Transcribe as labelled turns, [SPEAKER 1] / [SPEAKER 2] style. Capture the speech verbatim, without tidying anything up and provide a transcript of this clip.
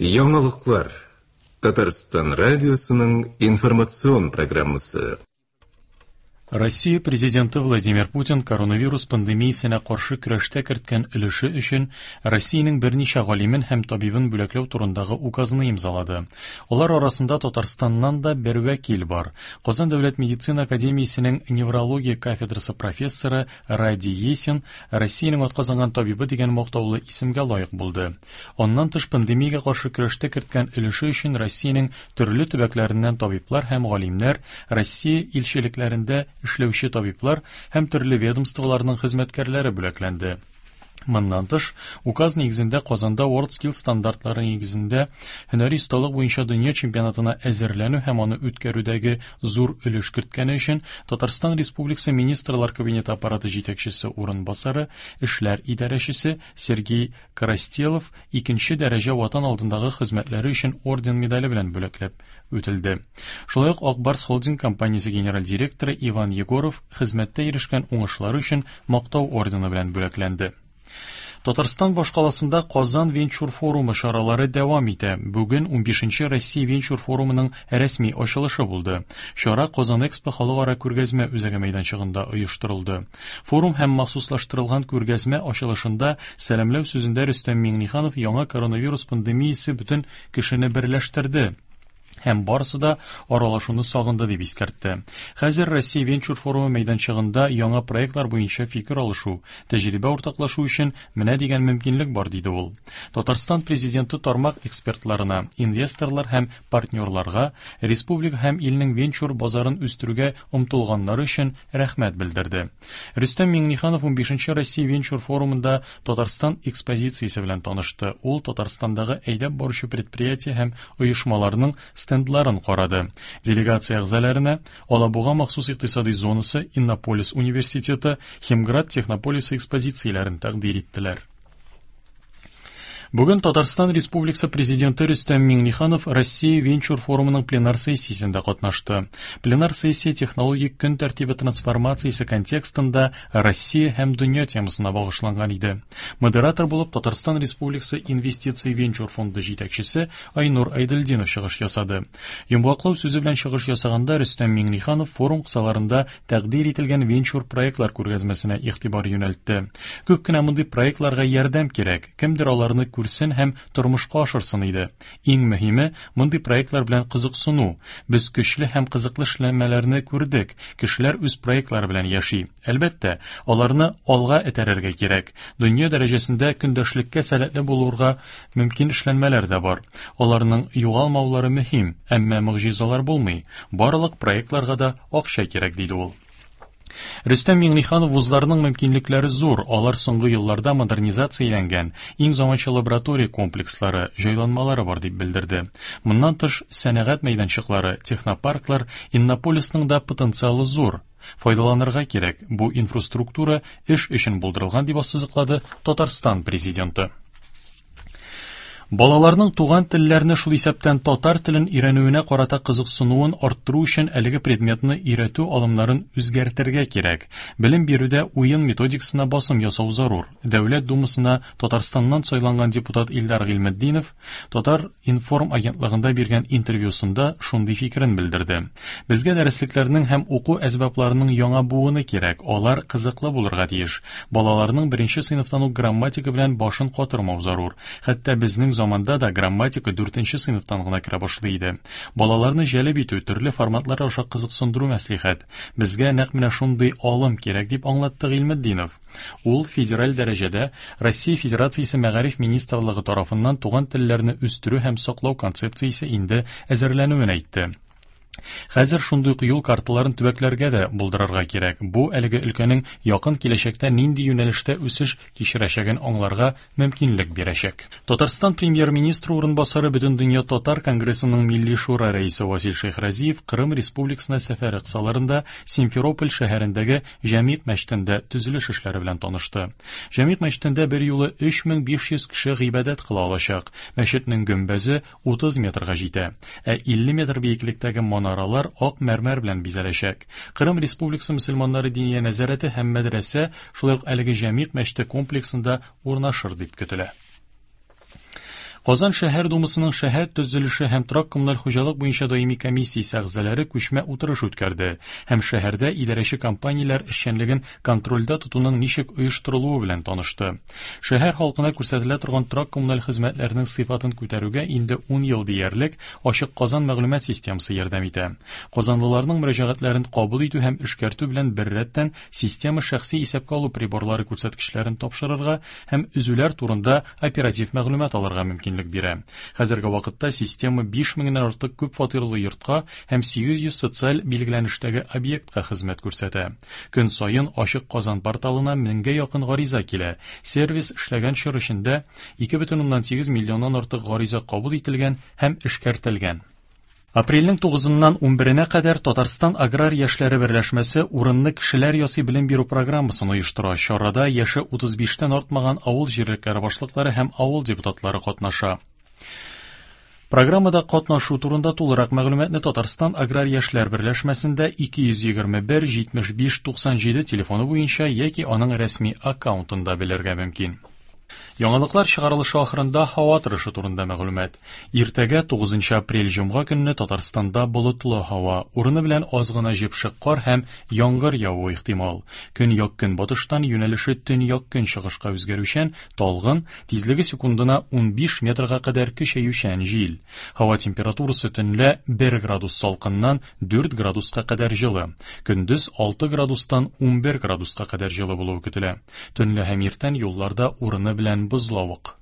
[SPEAKER 1] Яңалыклар. Татарстан радиосының информацион программасы.
[SPEAKER 2] Россия президенты Владимир Путин коронавирус пандемиясенә каршы көрәштә керткән өлеше өчен Россиянең берничә галимен һәм табибын бүләкләү турындагы указны имзалады. Алар арасында Татарстаннан да бер вәкил бар. Казан дәүләт медицина академиясенең неврология кафедрасы профессоры Ради Есин Россиянең атказанган табибы дигән мактаулы исемгә лаек булды. Аннан тыш пандемиягә каршы көрәштә керткән өлеше өчен Россиянең төрле төбәкләреннән табиблар һәм галимнәр Россия илчелекләрендә эшләүче табиблар һәм төрле ведомстволарның хезмәткәрләре бүләкләнде. Моннан тыш, указ нигезендә Казанда WorldSkills стандартлары нигезендә һөнәри осталык буенча дөнья чемпионатына әзерләнү һәм аны үткәрүдәге зур өлеш керткәне өчен Татарстан Республикасы Министрлар Кабинеты аппараты җитәкчесе урынбасары, эшләр идарәчесе Сергей Коростелов икенче дәрәҗә Ватан алдындагы хезмәтләре өчен орден медале белән бүләкләп үтелде. Шулай ук Ак Барс холдинг компаниясе генераль директоры Иван Егоров хезмәттә ирешкән уңышлары өчен Мактау ордены белән бүләкләнде. Татарстан башкаласында Казан венчур форумы чаралары дәвам итә. Бүген унбишенче Россия венчур форумының рәсми ачылышы булды. Чара Казан Экспо халыкара күргәзмә үзәге мәйданчыгында оештырылды. Форум һәм махсуслаштырылган күргәзмә ачылышында сәламләү сүзендә Рөстәм Миңнеханов яңа коронавирус пандемиясе бөтен кешене берләштерде һәм барысы да аралашуны сагынды дип искәртте. Хәзер Россия венчур форумы мәйданчыгында яңа проектлар буенча фикер алышу, тәҗрибә уртаклашу өчен менә дигән мөмкинлек бар, диде ул. Татарстан президенты тармак экспертларына, инвесторлар һәм партнерларга республика һәм илнең венчур базарын үстерүгә омтылганнары өчен рәхмәт белдерде. Рөстәм Миңнеханов унбишенче Россия венчур форумында Татарстан экспозициясе белән танышты. Ул Татарстандагы әйдәп баручы предприятие һәм оешмаларның стендларын карады. Делегация әгъзаларына Алабуга махсус икътисади зонасы, Иннополис университеты, Химград технополисы экспозицияләрен тәкъдир иттеләр. Бүген Татарстан Республикасы президенты Рөстәм Миңнеханов Россия венчур форумының пленар сессиясендә катнашты. Пленар сессия технологик көн тәртибе трансформациясе контекстында Россия һәм дөнья темасына багышланган иде. Модератор булып Татарстан Республикасы инвестиция венчур фонды җитәкчесе Айнур Айдельдинов чыгыш ясады. Йомгаклау сүзе белән чыгыш ясаганда Рөстәм Миңнеханов форум кысаларында тәкъдир ителгән венчур проектлар күргәзмәсенә игътибар юнәлтте. Күп кенә мондый проектларга ярдәм кирәк. Кемдер аларны күрсен һәм тормышка ашырсын иде. Иң мөһиме мондый проектлар белән кызыксыну. Без көчле һәм кызыклы эшләнмәләрне күрдек. Кешеләр үз проектлары белән яши. Әлбәттә, аларны алга этәрергә кирәк. Дөнья дәрәҗәсендә көндәшлеккә сәләтле булырга мөмкин эшләнмәләр дә бар. Аларның югалмаулары мөһим, әмма могҗизалар булмый. Барлык проектларга да акча кирәк, диде ул. Рөстәм Миңнеханов вузларның мөмкинлекләре зур, алар соңгы елларда модернизацияләнгән, иң заманча лаборатория комплекслары, җайланмалары бар дип белдерде. Моннан тыш, сәнәгать мәйданчыклары, технопарклар, Иннополисның да потенциалы зур. Файдаланырга кирәк, бу инфраструктура эш өчен булдырылган дип ассызыклады Татарстан президенты. Балаларның туган телләрне, шул исәптән татар телен өйрәнүенә карата кызыксынуын арттыру өчен әлеге предметны өйрәтү алымнарын үзгәртергә кирәк. Белем бирүдә уен методикасына басым ясау зарур. Дәүләт Думасына Татарстаннан сайланган депутат Илдар Гыйльметдинов Татар информ агентлыгында биргән интервьюсында шундый фикерен белдерде. Безгә дәреслекләрнең һәм уку әсбапларының яңа буыны кирәк, алар кызыклы булырга тиеш. Балаларның беренче сыйныфтан ук грамматика белән башын катырмау зарур. Хәтта безнең заманда да грамматика дүртенче сыйныфтан гына керә башлый иде. Балаларны җәлеп итү, төрле форматлар аша кызыксындыру мәслихәт. Безгә нәкъ менә шундый алым кирәк, дип аңлатты Гыйльметдинов. Ул федераль дәрәҗәдә Россия Федерациясе Мәгариф Министрлыгы тарафыннан туган телләрне үстерү һәм саклау концепциясе инде әзерләнүен әйтте. Хәзер шундый ук юл карталарын төбәкләргә дә булдырырга кирәк. Бу әлеге өлкәнең якын киләчәктә нинди юнәлештә үсеш кичерәчәген аңларга мөмкинлек бирәчәк. Татарстан премьер-министры урынбасары Бөтендөнья татар конгрессының Милли шура рәисе Васил Шәйхразиев Кырым Республикасына сәфәре кысаларында Симферополь шәһәрендәге Җәмигъ мәчетендә төзелеш эшләре белән танышты. Җәмигъ мәчетендә бер юлы өч мең биш йөз кеше гыйбадәт кыла алачак. Мәчетнең гөмбәзе утыз метрга җитә, ә илле метр биеклектәге манаралар ак мәрмәр белән бизәләчәк. Кырым Республикасы мөселманнары диния нәзарәте һәм мәдрәсә шулай ук әлеге Җәмигъ мәчете комплексында урнашыр дип көтелә. Казан шәһәр думасының шәһәр төзелеше һәм торак-коммуналь хуҗалык буенча даими комиссиясе әгъзалары күчмә утырыш үткәрде һәм шәһәрдә идарәче компанияләр эшчәнлеген контрольдә тотуның ничек оештырылуы белән танышты. Шәһәр халкына күрсәтелә торган торак-коммуналь хезмәтләрнең сыйфатын күтәрүгә инде ун ел диярлек Ачык Казан мәгълүмат системасы ярдәм итә. Казанлыларның мөрәҗәгатьләрен кабул итү һәм эшкәртү белән беррәттән система шәхси исәпкә алу приборлары күрсәткечләрен тапшырырга һәм өзүләр турында оператив мәгълүмат алырга мөмкин бирә. Хәзерге вакытта система биш меңнән артык күп фатирлы йортка һәм сигез йөз социаль билгеләнештәге объектка хезмәт күрсәтә. Көн саен Ачык Казан порталына меңгә якын гариза килә. Сервис эшләгән чор эчендә ике бөтен уннан сигез миллионнан артык гариза кабул ителгән һәм эшкәртелгән. Апрельнең тугызыннан унберенә кадәр Татарстан аграр яшьләре берләшмәсе урынны кешеләр ясый белем бирү программасын оештыра. Чарада яше утыз биштән артмаган авыл җирлекләре башлыклары һәм авыл депутатлары катнаша. Программада катнашу турында тулырак мәгълүматны Татарстан аграр яшьләр берләшмәсендә ике йөз егерме бер җитмеш биш туксан җиде телефоны буенча яки аның рәсми аккаунтында белергә мөмкин. Яңалыклар чыгарылышы ахырында һава торышы турында мәгълүмат. Иртәгә тугызынчы апрель җомга көнне Татарстанда болытлы һава, урыны белән аз гына җепшек кар һәм яңгыр явуы ихтимал. Көньяк көнбатыштан юнәлеше төньяк көнчыгышка үзгәрүчән, талгын, тизлеге секундына унбиш метрга кадәр көчәючән җил. Һава температурасы төнлә бер градус салкыннан дүрт градуска кадәр җылы, көндез алты градустан унбер градуска кадәр җылы булуы көтелә. Төнлә һәм иртән юлларда урыны белән бозлавык.